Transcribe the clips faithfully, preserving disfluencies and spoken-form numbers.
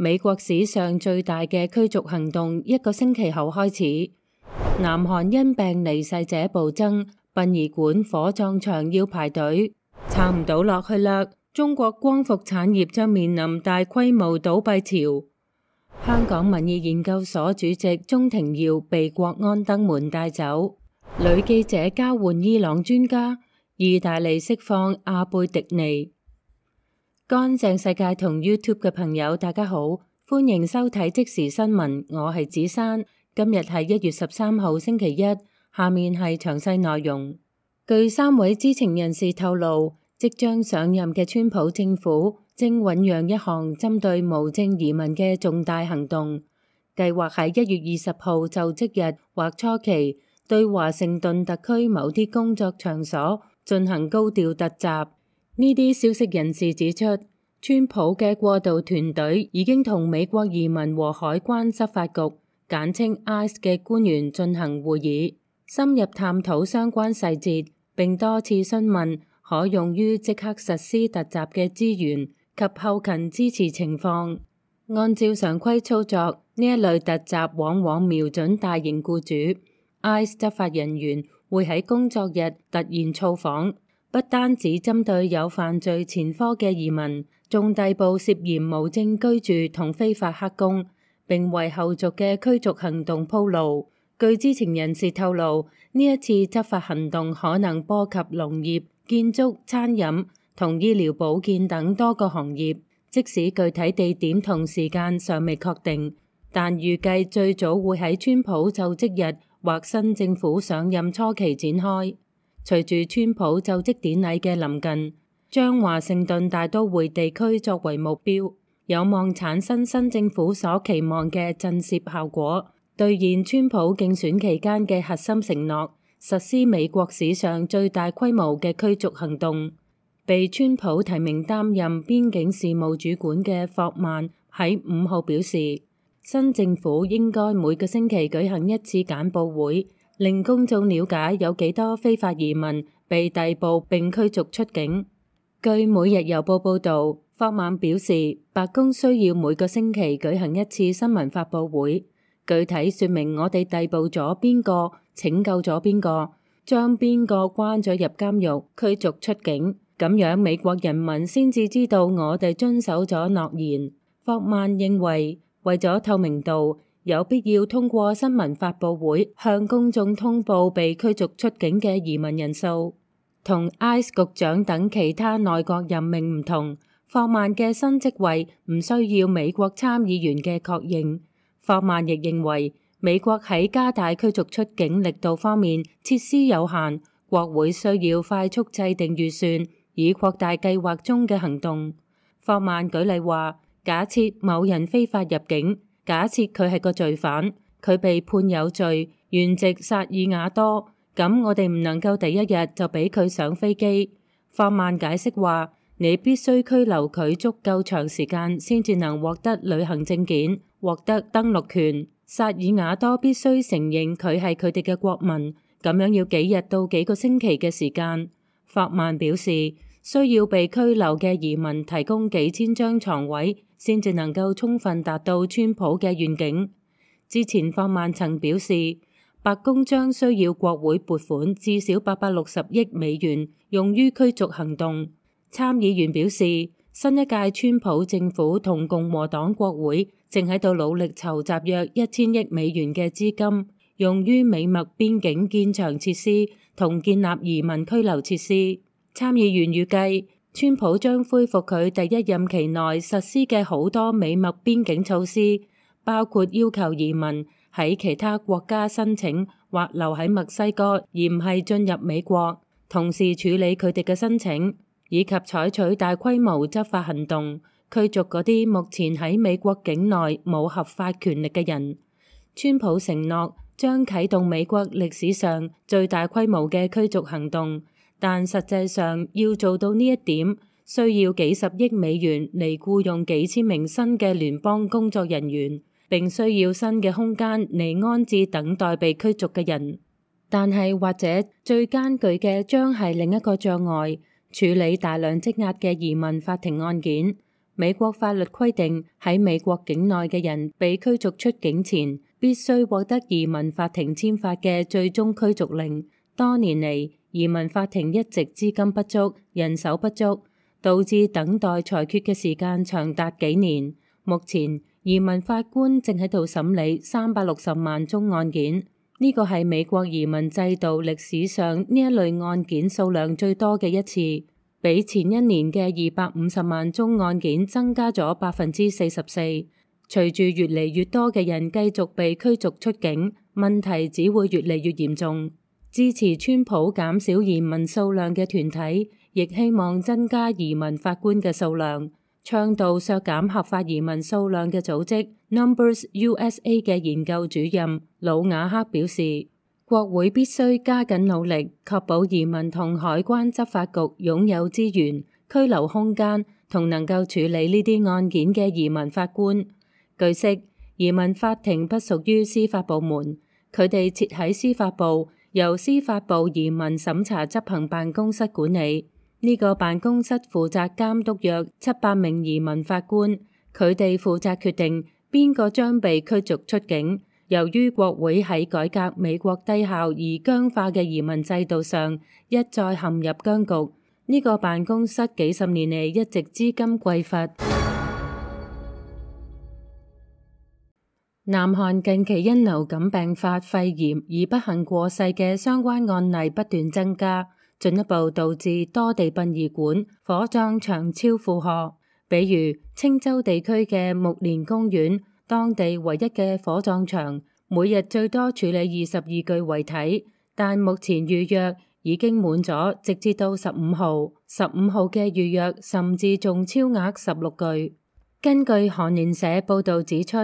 美國史上最大嘅驅逐行動一個星期後開始。南韓因病離世者暴增，殯儀館、火葬場要排隊，撐唔到落去啦。中國光伏產業將面臨大規模倒閉潮。香港民意研究所主席鍾庭耀被國安登門帶走。女記者交換伊朗專家。意大利釋放阿貝迪尼。乾淨世界同 YouTube 嘅朋友大家好，歡迎收睇即時新聞，我係子珊。今日係一月十三號星期一，下面係詳細內容。據三位知情人士透露，即將上任嘅川普政府正醞釀一項針對無證移民嘅重大行動，計劃喺一月二十號就職日或初期對華盛頓特區某啲工作場所進行高調突襲。呢啲消息人士指出，川普嘅過渡團隊已經同美國移民和海關執法局簡稱 I C E 嘅官員進行會議，深入探討相關細節，並多次詢問可用於即刻實施突襲嘅資源及後勤支持情況。按照常規操作，呢一類突襲往往瞄準大型僱主。I C E 執法人員會喺工作日突然造訪，不單止針對有犯罪前科嘅移民，仲逮捕涉嫌無證居住同非法黑工，並為後續嘅驅逐行動鋪路。據知情人士透露，呢一次執法行動可能波及農業、建築、餐飲同醫療保健等多個行業，即使具體地點同時間尚未確定，但預計最早會喺川普就職日或新政府上任初期展開。隨住川普就職典禮嘅臨近，將華盛頓大都會地區作為目標，有望產生新政府所期望嘅震懾效果，兌現川普競選期間嘅核心承諾，實施美國史上最大規模嘅驅逐行動。被川普提名擔任邊境事務主管嘅霍曼喺五號表示，新政府應該每個星期舉行一次簡報會，令公眾了解有幾多非法移民被逮捕並驅逐出境。據每日郵報報導，霍曼表示，白宮需要每個星期舉行一次新聞發佈會，具體說明我哋逮捕咗邊個、拯救咗邊個、將邊個關咗入監獄、驅逐出境，咁樣美國人民先至知道我哋遵守咗諾言。霍曼認為，為咗透明度，有必要通過新聞發佈會向公眾通報被驅逐出境嘅移民人數。同 I C E 局長等其他內閣任命唔同，霍曼嘅新職位唔需要美國參議員嘅確認。霍曼亦認為，美國喺加大驅逐出境力度方面設施有限，國會需要快速制定預算，以擴大計劃中嘅行動。霍曼舉例話，假設某人非法入境，假設佢係個罪犯，佢被判有罪，原籍薩爾瓦多，咁我哋唔能夠第一日就俾佢上飛機。霍曼解釋話，你必須拘留佢足夠長時間先至能獲得旅行證件，獲得登陸權。薩爾瓦多必須承認佢係佢哋嘅國民，咁樣要幾日到幾個星期嘅時間。霍曼表示，需要被拘留嘅移民提供幾千張床位，先至能夠充分達到川普嘅願景。之前霍曼曾表示，白宮將需要國會撥款至少八百六十億美元用於驅逐行動。參議員表示，新一屆川普政府同共和黨國會正喺度努力籌集約一千億美元嘅資金，用於美墨邊境建牆設施同建立移民拘留設施。參議員預計，川普將恢復佢第一任期內實施嘅好多美墨邊境措施，包括要求移民喺其他國家申請或留喺墨西哥，而唔係進入美國，同時處理佢哋嘅申請，以及採取大規模執法行動，驅逐嗰啲目前喺美國境內冇合法權力嘅人。川普承諾將啟動美國歷史上最大規模嘅驅逐行動，但實際上要做到呢一點，需要幾十億美元嚟僱用幾千名新嘅聯邦工作人員，並需要新嘅空間嚟安置等待被驅逐嘅人。但係或者最艱巨嘅將係另一個障礙，處理大量積壓嘅移民法庭案件。美國法律規定喺美國境內嘅人被驅逐出境前，必須獲得移民法庭簽發嘅最終驅逐令。多年嚟，移民法庭一直資金不足、人手不足，導致等待裁決嘅時間長達幾年。目前，移民法官正喺度審理三百六十萬宗案件，呢個係美國移民制度歷史上呢一類案件數量最多嘅一次。比前一年嘅二百五十萬宗案件增加咗百分之四十四。隨住越嚟越多嘅人繼續被驅逐出境，問題只會越嚟越嚴重。支持川普減少移民數量嘅團體，亦希望增加移民法官嘅數量。倡導削減合法移民數量嘅組織 Numbers U S A 嘅研究主任魯瓦克表示，國會必須加緊努力，確保移民同海關執法局擁有資源、拘留空間同能夠處理呢啲案件嘅移民法官。據悉，移民法庭不屬於司法部門，佢哋設喺司法部，由司法部移民審查執行辦公室管理。呢個辦公室負責監督約七百名移民法官，佢哋負責決定邊個將被驅逐出境。由於國會喺改革美國低效而僵化嘅移民制度上一再陷入僵局，呢個辦公室幾十年嚟一直資金匱乏。南韓近期因流感併發肺炎而不幸過世嘅相關案例不斷增加，進一步導致多地殯儀館、火葬場超負荷。比如青州地區嘅木蓮公園，當地唯一嘅火葬場，每日最多處理二十二具遺體，但目前預約已經滿咗，直至到十五號。十五號嘅預約甚至仲超額十六具。根據韓聯社報導指出，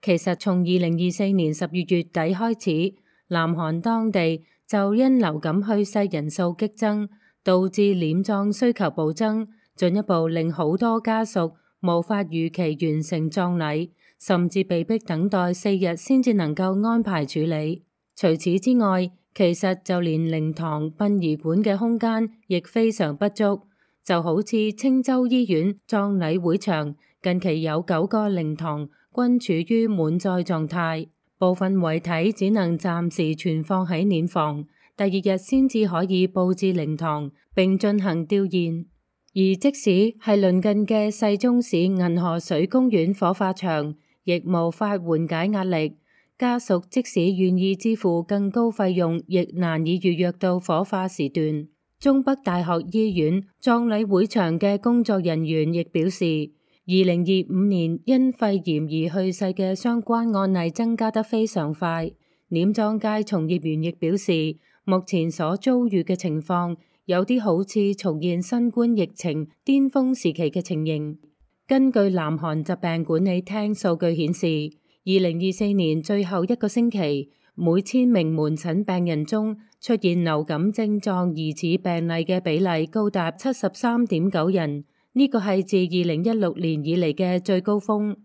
其實從二零二四年十月月底開始，南韓當地就因流感去世人數激增，導致殮葬需求暴增，進一步令好多家屬無法如期完成葬禮，甚至被迫等待四日先至能夠安排處理。除此之外，其實就連靈堂、殯儀館嘅空間亦非常不足，就好似青州醫院葬禮會場，近期有九個靈堂均處於滿載狀態，部分遺體只能暫時存放喺殮房，第二日先至可以佈置靈堂並進行吊唁。而即使係鄰近嘅世宗市銀河水公園火化場，亦無法緩解壓力。家屬即使願意支付更高費用，亦難以預約到火化時段。中北大學醫院葬禮會場嘅工作人員亦表示，二零二五年因肺炎而去世嘅相關案例增加得非常快。殮葬界從業員亦表示，目前所遭遇嘅情況有啲好似重現新冠疫情巔峰時期嘅情形。根據南韓疾病管理廳數據顯示，二零二四年最後一個星期，每千名門診病人中出現流感症狀疑似病例嘅比例高達七十三點九人，呢個係自二零一六年以嚟嘅最高峰。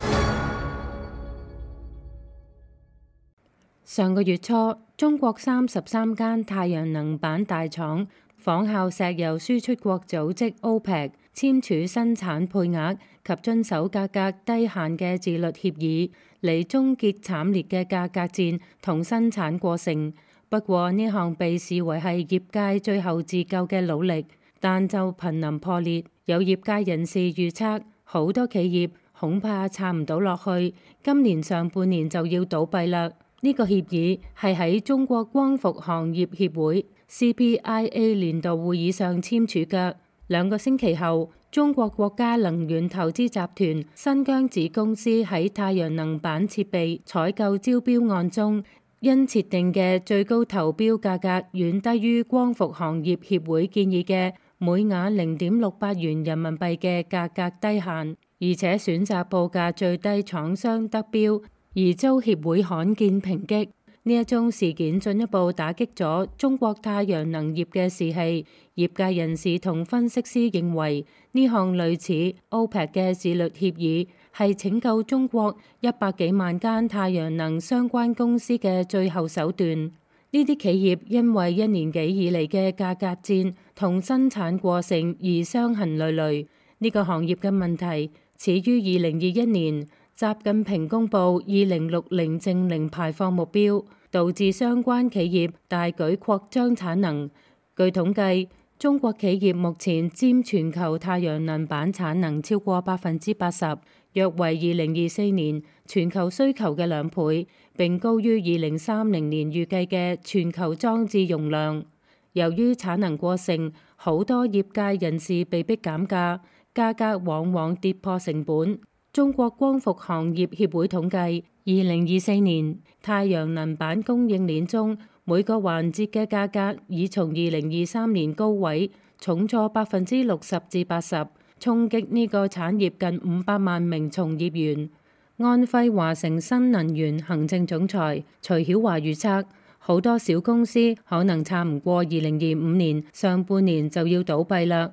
上個月初，中國三十三間太陽能板大廠仿效石油輸出國組織 OPEC 簽署生產配額及遵守價格低限嘅自律協議，嚟終結慘烈嘅價格戰同生產過剩。不過呢項被視為係業界最後自救嘅努力，但就瀕臨破裂。有業界人士預測，好多企業恐怕撐唔到落去，今年上半年就要倒閉啦。呢個協議係喺中國光伏行業協會 C P I A 年度會議上簽署嘅。兩個星期後，中國國家能源投資集團新疆子公司喺太陽能板設備採購招標案中，因設定嘅最高投標價格遠低於光伏行業協會建議嘅每瓦零點六八元人民幣嘅價格低限，而且選擇報價最低廠商得標，而遭協會罕見抨擊。呢一宗事件進一步打擊咗中國太陽能業嘅士氣。業界人士同分析師認為，呢項類似 OPEC 嘅自律協議係拯救中國一百幾萬間太陽能相關公司嘅最後手段。呢啲企業因為一年幾以嚟嘅價格戰同生產過剩而傷痕累累。呢個行業嘅問題始於二零二一年，習近平公布二零六零淨零排放目標，導致相關企業大舉擴張產能。據統計，中國企業目前佔全球太陽能板產能超過百分之八十，約為二零二四年全球需求嘅兩倍，並高於二零三零年預計嘅全球裝置容量。由於產能過剩，好多業界人士被迫減價，價格往往跌破成本。中國光伏行業協會統計，二零二四年太陽能板供應鏈中每個環節嘅價格已從二零二三年高位重挫百分之六十至八十，衝擊呢個產業近五百萬名從業員。安徽華城新能源行政總裁徐曉華預測，好多小公司可能撐唔過二零二五年上半年就要倒閉啦。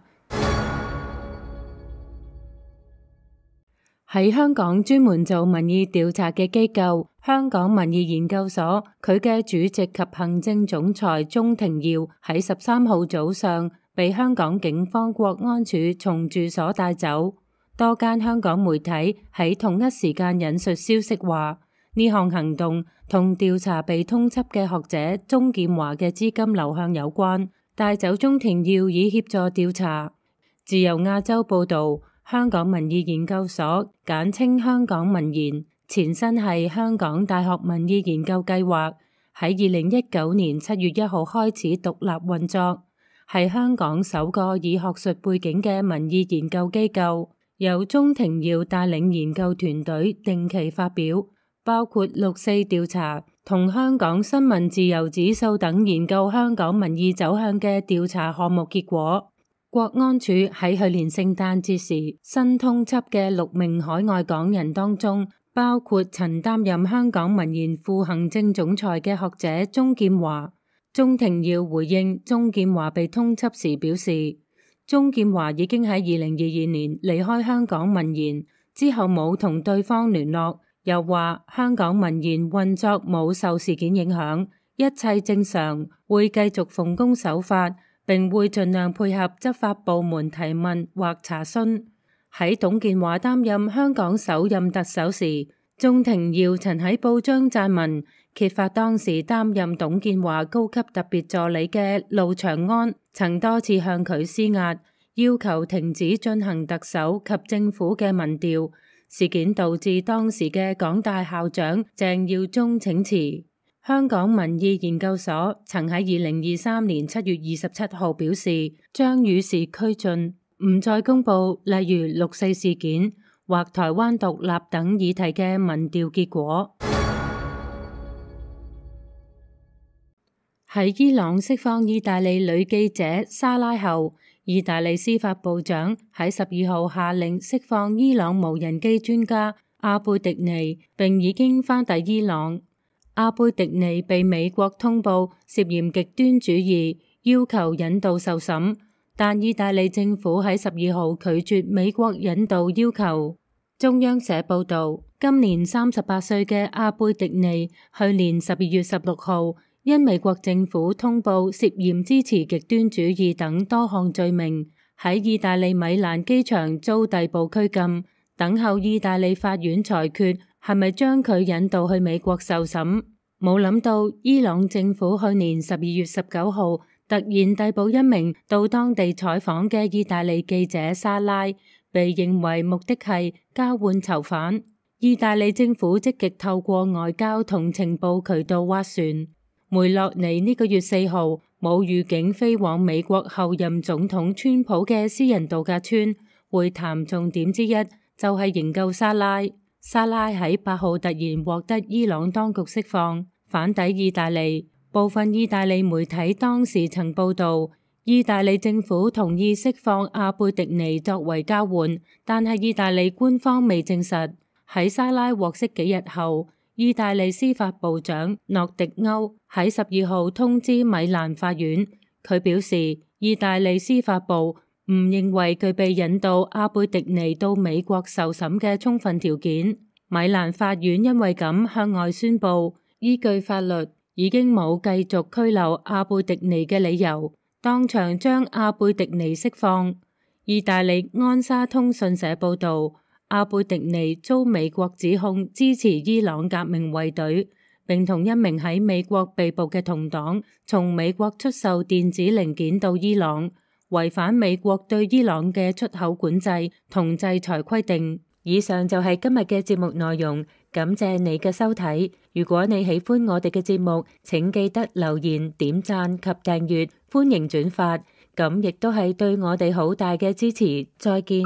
喺香港專門做民意調查嘅機構香港民意研究所，佢嘅主席及行政總裁鍾庭耀喺十三號早上被香港警方國安處從住所帶走。多間香港媒體喺同一時間引述消息話，呢項行動同調查被通緝嘅學者鍾劍華嘅資金流向有關，帶走鍾庭耀以協助調查。自由亞洲報導，香港民意研究所簡稱香港民研，前身係香港大學民意研究計劃，喺二零一九年七月一號開始獨立運作，係香港首個以學術背景嘅民意研究機構。由鍾庭耀帶領研究團隊定期發表包括六四調查同香港新聞自由指數等研究香港民意走向嘅調查項目結果。國安處喺去年聖誕節時新通緝嘅六名海外港人當中，包括曾擔任香港民研副行政總裁嘅學者鍾劍華。鍾庭耀回應鍾劍華被通緝時表示，鍾劍華已經喺二零二二年離開香港民研，之後冇同對方聯絡，又話香港民研運作冇受事件影響，一切正常，會繼續奉公守法，並會盡量配合執法部門提問或查詢。喺董建華擔任香港首任特首時，鍾庭耀曾喺報章撰文揭發當時擔任董建華高級特別助理嘅路長安曾多次向佢施壓，要求停止進行特首及政府嘅民調。事件導致當時嘅港大校長鄭耀宗請辭。香港民意研究所曾喺二零二三年七月二十七號表示，將與時俱進，唔再公布例如六四事件或台灣獨立等議題嘅民調結果。喺伊朗釋放意大利女記者莎拉後，意大利司法部長喺十二號下令釋放伊朗無人機專家阿貝迪尼，並已經返抵伊朗。阿貝迪尼被美國通報涉嫌極端主義，要求引渡受審，但意大利政府喺十二號拒絕美國引渡要求。中央社報道，今年三十八歲嘅阿貝迪尼，去年十二月十六號因美國政府通報涉嫌支持極端主義等多項罪名，喺意大利米蘭機場遭逮捕拘禁，等候意大利法院裁決係咪將佢引渡去美國受審。冇諗到伊朗政府去年十二月十九號突然逮捕一名到當地採訪嘅意大利記者莎拉，被認為目的係交換囚犯。意大利政府積極透過外交同情報渠道斡旋。梅洛尼呢個月四號冇預警飛往美國後任總統川普嘅私人度假村，會談重點之一就係營救莎拉。莎拉喺八號突然獲得伊朗當局釋放，返抵意大利。部分意大利媒體當時曾報道，意大利政府同意釋放阿貝迪尼作為交換，但係意大利官方未證實。喺莎拉獲釋幾日後，意大利司法部長諾迪歐喺十二號通知米蘭法院，佢表示意大利司法部唔認為具備引渡阿貝迪尼到美國受審嘅充分條件。米蘭法院因為咁向外宣布，依據法律已經冇繼續拘留阿貝迪尼嘅理由，當場將阿貝迪尼釋放。意大利安莎通訊社報道，阿貝迪尼遭美國指控支持伊朗革命衛隊，並同一名喺美國被捕嘅同黨從美國出售電子零件到伊朗，違反美國對伊朗嘅出口管制同制裁規定。以上就係今日嘅節目內容，感謝你嘅收睇。如果你喜歡我哋嘅節目，請記得留言、點讚及訂閱，歡迎轉發，咁亦都係對我哋好大嘅支持。再見。